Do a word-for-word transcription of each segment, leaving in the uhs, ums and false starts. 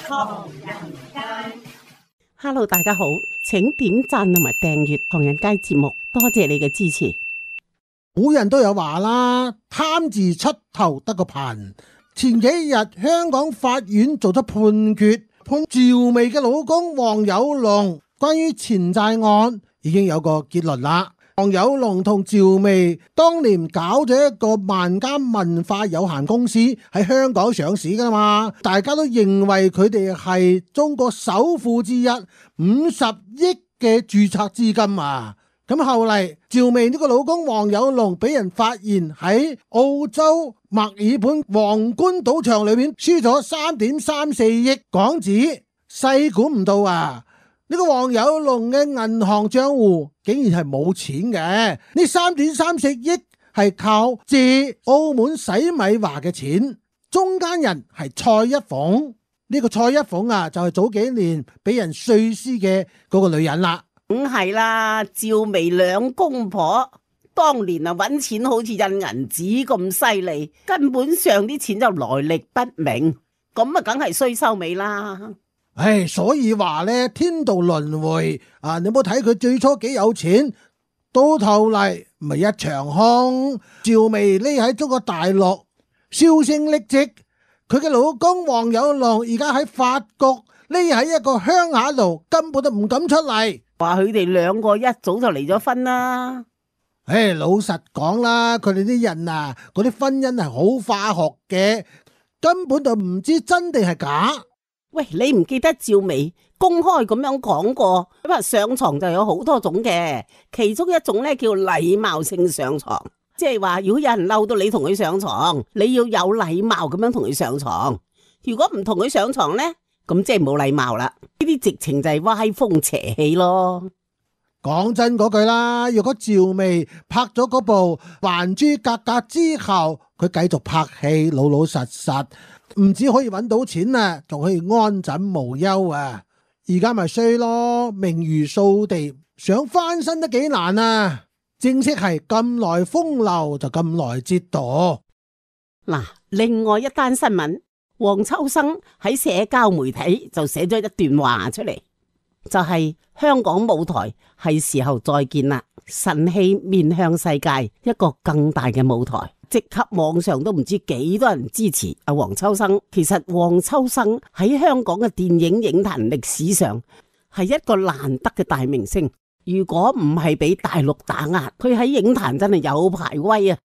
唐人街。Hello， 大家好，請點讚同埋訂閱唐人街節目，多謝你嘅支持。古人都有話啦，貪字出頭得個貧。前幾日香港法院做咗判決，判趙薇嘅老公黃有龍關於錢債案已經有個結論啦。黃有龍同趙薇當年搞咗一個萬家文化有限公司喺香港上市噶嘛，大家都認為佢哋係中國首富之一，五十億嘅註冊資金啊。咁後嚟趙薇呢個老公黃有龍俾人發現喺澳洲墨爾本皇冠賭場裏面輸咗三點三四億港紙，細估唔到啊！呢個黃有龍嘅銀行賬戶竟然係冇錢嘅，呢三點三四億係靠借澳門洗米華嘅錢，中間人係蔡一鳳。呢個蔡一鳳啊，就係早幾年俾人碎屍嘅嗰個女人啦。梗係啦，趙薇兩公婆當年啊搵錢好似印銀紙咁犀利，根本上啲錢就來歷不明，咁啊梗係衰收尾啦。唉，所以話咧，天道輪迴啊！你冇睇佢最初幾有錢，到頭嚟咪一場空。趙薇匿喺中國大陸銷聲匿跡，佢嘅老公黃有龍而家喺法國匿喺一個鄉下度，根本都唔敢出嚟。話佢哋兩個一早就離咗婚啦。唉，老實講啦，佢哋啲人啊，嗰啲婚姻係好化學嘅，根本就唔知真定係假。喂，你唔記得趙薇公開咁樣講過，因為上床就有好多種嘅，其中一種咧叫禮貌性上床，即係話如果有人嬲到你同佢上床，你要有禮貌咁樣同佢上床。如果唔同佢上床咧，咁即係冇禮貌啦。呢啲直情就係歪風邪氣咯。講真嗰句啦，如果趙薇拍咗嗰部《還珠格格》之後，佢繼續拍戲，老老實實，唔止可以揾到錢啊，仲可以安枕無憂啊！而家咪衰咯，名譽掃地，想翻身都幾難啊！正式係咁來風流就咁來折墮。嗱，另外一單新聞，黃秋生喺社交媒體就寫咗一段話出嚟，就係、是、香港舞台係時候再見啦，神氣面向世界，一個更大嘅舞台。即刻網上都唔知幾多人支持阿黃秋生。其實黃秋生喺香港嘅電影影壇歷史上係一個難得嘅大明星。如果唔係俾大陸打壓，佢喺影壇真係有排威啊！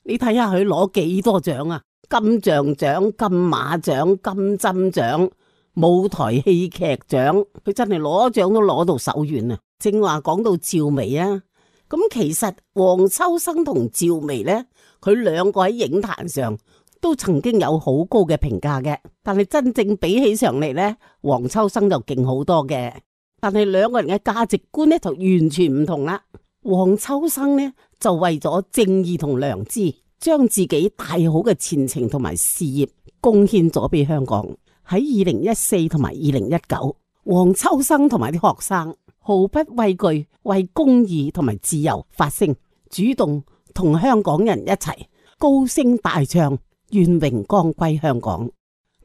你睇下佢攞幾多獎啊？金像獎、金馬獎、金針獎、舞台戲劇獎，佢真係攞獎都攞到手軟啊！正話講到趙薇啊，咁其實黃秋生同趙薇呢，佢兩個喺影壇上都曾經有好高嘅評價嘅，但係真正比起上嚟呢，黃秋生就勁好多嘅。但係兩個人嘅價值觀呢就完全唔同啦。黃秋生呢就為咗正義同良知，將自己大好嘅前程同埋事業貢獻咗俾香港。喺二零一四同埋二零一九，黃秋生同埋啲學生毫不畏懼為公義同埋自由發聲，主動同香港人一齊高聲大唱願榮光歸香港。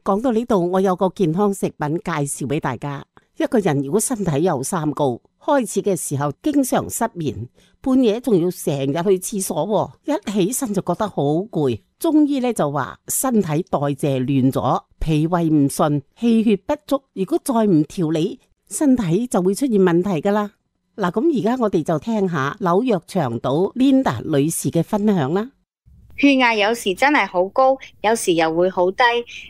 講到呢度，我有個健康食品介紹俾大家。一個人如果身體有三高，開始嘅時候經常失眠，半夜仲要成日去廁所，一起身就覺得好攰。中醫咧就話身體代謝亂咗，脾胃唔順，氣血不足，如果再唔調理，身體就會出現問題噶啦。嗱，咁而家我哋就聽下紐約長島 Linda 女士嘅分享啦。血壓有時真係好高，有時又會好低，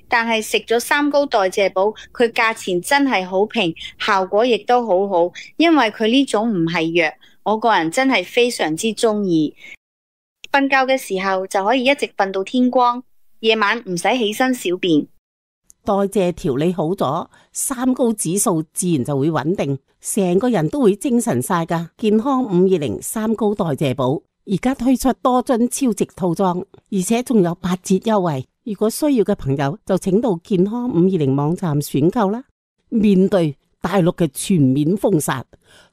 但係食咗三高代謝寶，佢價錢真係好平，效果亦都好好，因為佢呢種唔係藥，我個人真係非常之中意。瞓覺嘅時候就可以一直瞓到天光，夜晚唔使起身小便。代謝調理好咗，三高指數自然就會穩定，成個人都會精神晒噶。健康五二零三高代謝寶而家推出多樽超值套裝，而且仲有八折優惠。如果需要嘅朋友就請到健康五二零網站選購啦。面對大陸嘅全面封殺，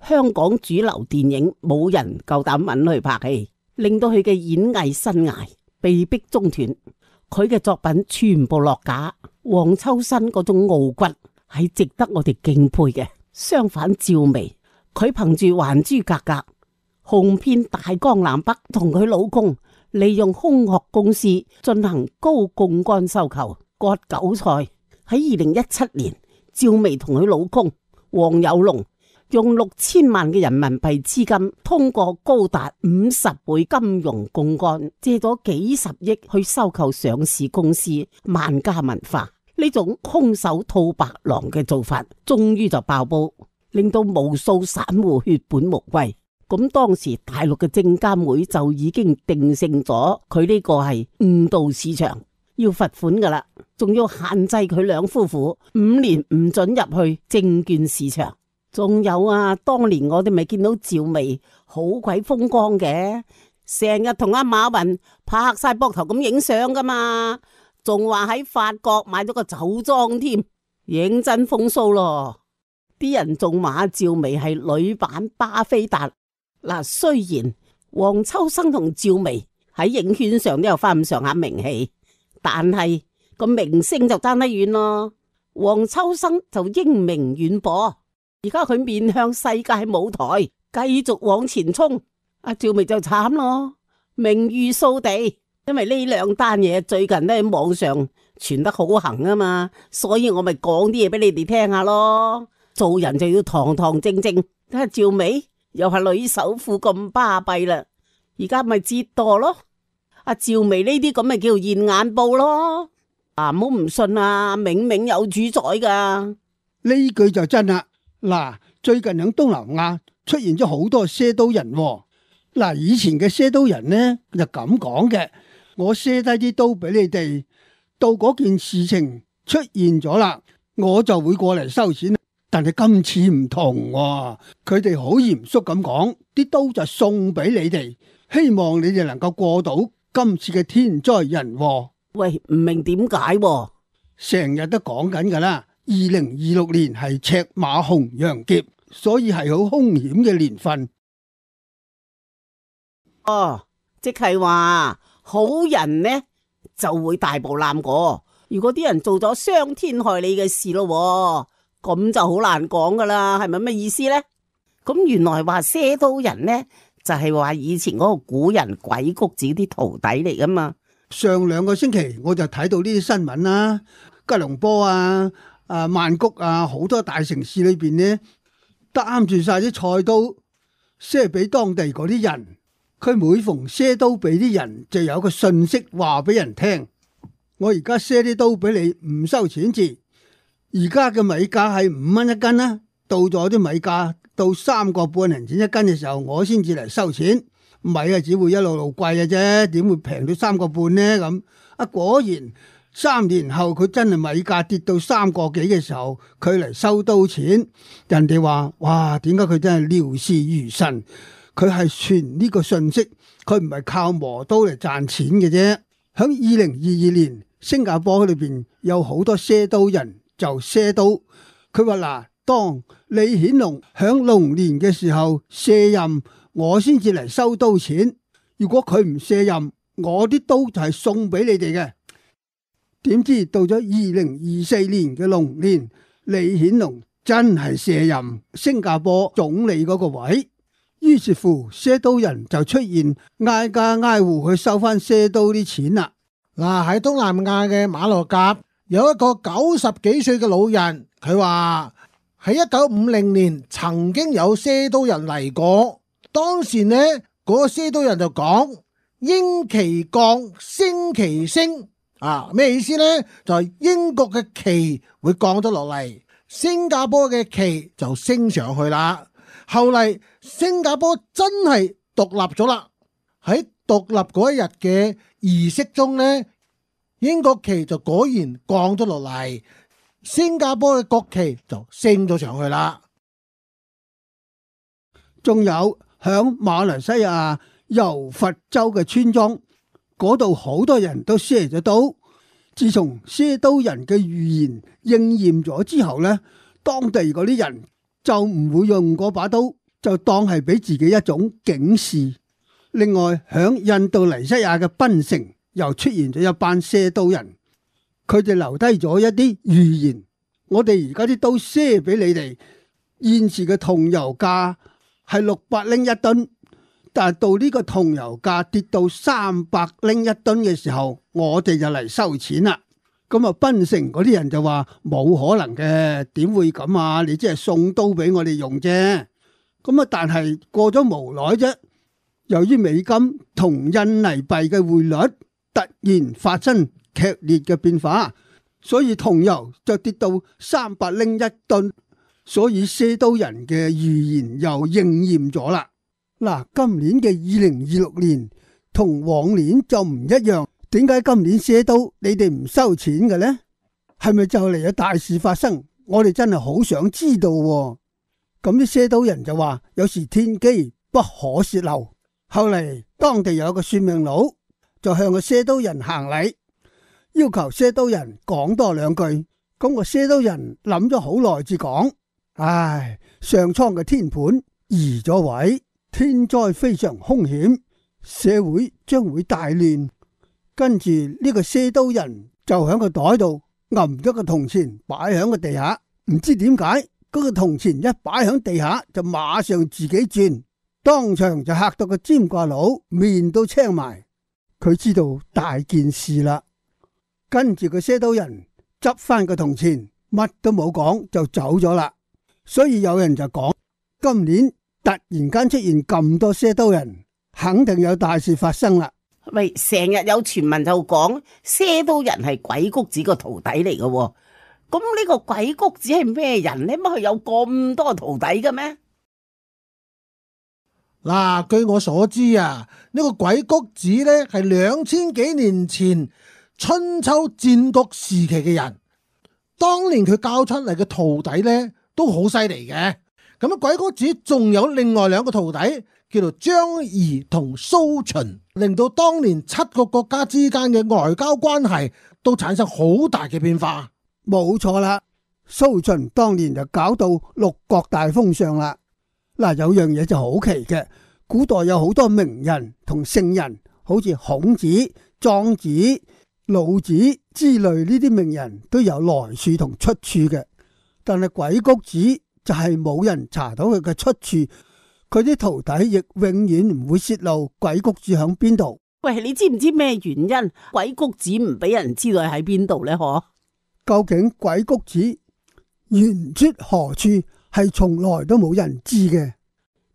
香港主流電影冇人夠膽揾佢拍戲，令到佢嘅演藝生涯被逼中斷，佢嘅作品全部落架。黃秋生嗰種傲骨係值得我哋敬佩嘅。相反，趙薇佢憑住《還珠格格》紅遍大江南北，同佢老公利用空殼公司進行高槓桿收購割韭菜。喺二零一七年，趙薇同佢老公黃有龍用六千萬嘅人民幣資金，通過高達五十倍金融槓桿，借咗幾十億去收購上市公司萬家文化。呢種空手套白狼嘅做法，終於就爆煲，令到無數散戶血本無歸。咁當時大陸嘅證監會就已經定性咗佢呢個係誤導市場，要罰款噶啦，仲要限制佢兩夫婦五年唔准入去證券市場。仲有啊，當年我哋咪見到趙薇好鬼風光嘅，成日同阿馬雲拍晒膊頭咁影相噶嘛，仲話喺法國買咗個酒莊添，認真風騷咯。啲人仲話趙薇係女版巴菲特。嗱，雖然黃秋生同趙薇喺影圈上都有翻咁上下名氣，但係個明星就爭得遠咯。黃秋生就英名遠播，而家佢面向世界舞台，繼續往前衝。阿趙薇就慘咯，名譽掃地，因為呢兩單嘢最近都喺網上傳得好行啊嘛，所以我咪講啲嘢俾你哋聽下咯。做人就要堂堂正正，睇下趙薇又係女首富咁巴閉啦，而家咪折墮咯。阿趙薇呢啲咁咪叫現眼報咯。啊，唔好唔信啊，冥冥有主宰噶。呢句就真啦。嗱，最近喺東南亞出現咗好多賒刀人。嗱，以前嘅賒刀人呢就咁講嘅，我賒低啲刀俾你哋，到嗰件事情出現咗啦，我就會過嚟收錢。但係今次唔同喎，佢哋好嚴肅咁講，啲刀就送俾你哋，希望你哋能夠過到今次嘅天災人禍。喂，唔明點解？成日都講緊噶啦，二零二六年係赤馬紅羊劫，所以係好兇險嘅年份。哦，即係話好人呢就會大步攬過，如果啲人做咗傷天害理嘅事咯，咁就好難講噶啦，係咪咩意思呢？咁原來話賒刀人呢，就係話以前嗰個古人鬼谷子啲徒弟嚟噶嘛。上兩個星期我就睇到呢啲新聞啦，吉隆坡啊、啊曼谷啊，好多大城市裏邊呢，擔住晒啲菜刀賒俾當地嗰啲人。佢每逢賒刀俾啲人，就有個信息話俾人聽：我而家賒啲刀俾你，唔收錢字。而家嘅米價係五蚊一斤啦，到咗啲米價到三個半銀錢一斤嘅時候，我先至嚟收錢。米啊，只會一路路貴嘅啫，點會平到三個半呢？咁啊，果然三年後佢真係米價跌到三個幾嘅時候，佢嚟收刀錢。人哋話：哇，點解佢真係料事如神？佢係傳呢個信息，佢唔係靠磨刀嚟賺錢嘅啫。喺二零二二年，新加坡裏邊有好多賒刀人。就賒刀，佢話嗱，當李顯龍響龍年嘅時候卸任，我先至嚟收刀錢。如果佢唔卸任，我啲刀就係送俾你哋嘅。點知到咗二零二四年嘅龍年，李顯龍真係卸任新加坡總理嗰個位，於是乎賒刀人就出現，挨家挨戶去收翻賒刀啲錢啦。嗱，喺東南亞嘅馬六甲，有一個九十幾歲嘅老人，佢話喺一九五零年曾經有賒刀人嚟過，當時呢嗰個賒刀人就講：英旗降，升旗升。啊，咩意思呢？就係英國嘅旗會降咗落嚟，新加坡嘅旗就升上去啦。後嚟新加坡真係獨立咗啦，喺獨立嗰一日嘅儀式中呢，英國旗就果然降咗落嚟，新加坡嘅國旗就升咗上去啦。仲有響馬來西亞柔佛州嘅村莊嗰度，好多人都賒咗刀。自從賒刀人嘅預言應驗咗之後呢，當地嗰啲人就唔會用嗰把刀，就當係俾自己一種警示。另外響印度尼西亞嘅檳城又出現咗一班賒刀人，佢哋留低咗一啲預言，我哋而家啲刀賒俾你哋，現時嘅銅油價係六百拎一噸，但係到呢個銅油價跌到三百拎一噸嘅時候，我哋就嚟收錢啦。咁啊，檳城嗰啲人就話冇可能嘅，點會咁啊？你即係送刀俾我哋用啫。咁啊，但係過咗無耐啫，由於美金同印尼幣嘅匯率突然發生劇烈嘅變化，所以銅油就跌到三百拎一噸，所以賒刀人嘅預言又應驗咗啦。嗱，今年嘅二零二六年同往年就唔一樣。點解今年賒刀你哋唔收錢嘅呢？係咪就嚟有大事發生？我哋真係好想知道喎。咁啲賒刀人就話，有時天機不可泄漏。後嚟當地有個算命佬就向個賒刀人行禮，要求賒刀人講多兩句。咁個賒刀人諗咗好耐至講：唉，上蒼嘅天盤移咗位，天災非常兇險，社會將會大亂。跟住呢個賒刀人就喺個袋度揞咗個銅錢擺喺個地下，唔知點解嗰個銅錢一擺喺地下就馬上自己轉，當場就嚇到個占卦佬面都青埋。佢知道大件事啦，跟住個賒刀人執翻個銅錢，乜都冇講就走咗啦。所以有人就講，今年突然間出現咁多賒刀人，肯定有大事發生啦。喂，成日有傳聞就講賒刀人係鬼谷子個徒弟嚟嘅，咁呢個鬼谷子係咩人呢？乜佢有咁多徒弟嘅咩？嗱，據我所知啊，呢個鬼谷子呢係兩千幾年前春秋戰國時期嘅人，當年佢教出嚟嘅徒弟呢都好犀利嘅。咁啊，鬼谷子仲有另外兩個徒弟，叫做張儀同蘇秦，令到當年七個國家之間嘅外交關係都產生好大嘅變化。冇錯啦，蘇秦當年就搞到六國大封相啦。嗱，有樣嘢就好奇嘅，古代有好多名人同聖人，好似孔子、莊子、老子之類呢啲名人都有來處同出處嘅，但係鬼谷子就係冇人查到佢嘅出處，佢啲徒弟亦永遠唔會泄露鬼谷子響邊度。喂，你知唔知咩原因鬼谷子唔俾人知道喺邊度呢？嗬？究竟鬼谷子原出何處，係從來都冇人知嘅。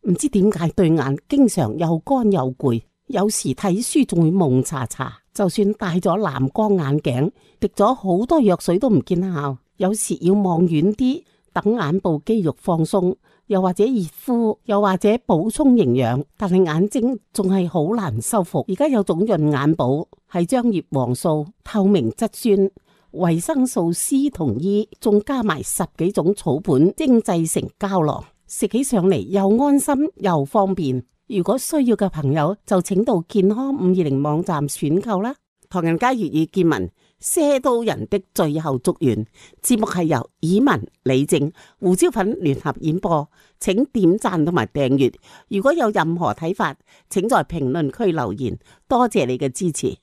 唔知點解對眼經常又乾又攰，有時睇書仲會蒙查查，就算戴咗藍光眼鏡，滴咗好多藥水都唔見效。有時要望遠啲，等眼部肌肉放鬆，又或者熱敷，又或者補充營養，但係眼睛仲係好難修復。而家有種潤眼寶，係將葉黃素、透明質酸、維生素 C 同 E， 仲加埋十幾種草本精製成膠囊，食起上嚟又安心又方便。如果需要嘅朋友就請到健康五二零網站選購啦。唐人街粵語見聞，賒刀人的最後祝願節目係由以文、李正、胡椒粉聯合演播，請點讚同埋訂閱。如果有任何睇法，請在評論區留言。多謝你嘅支持。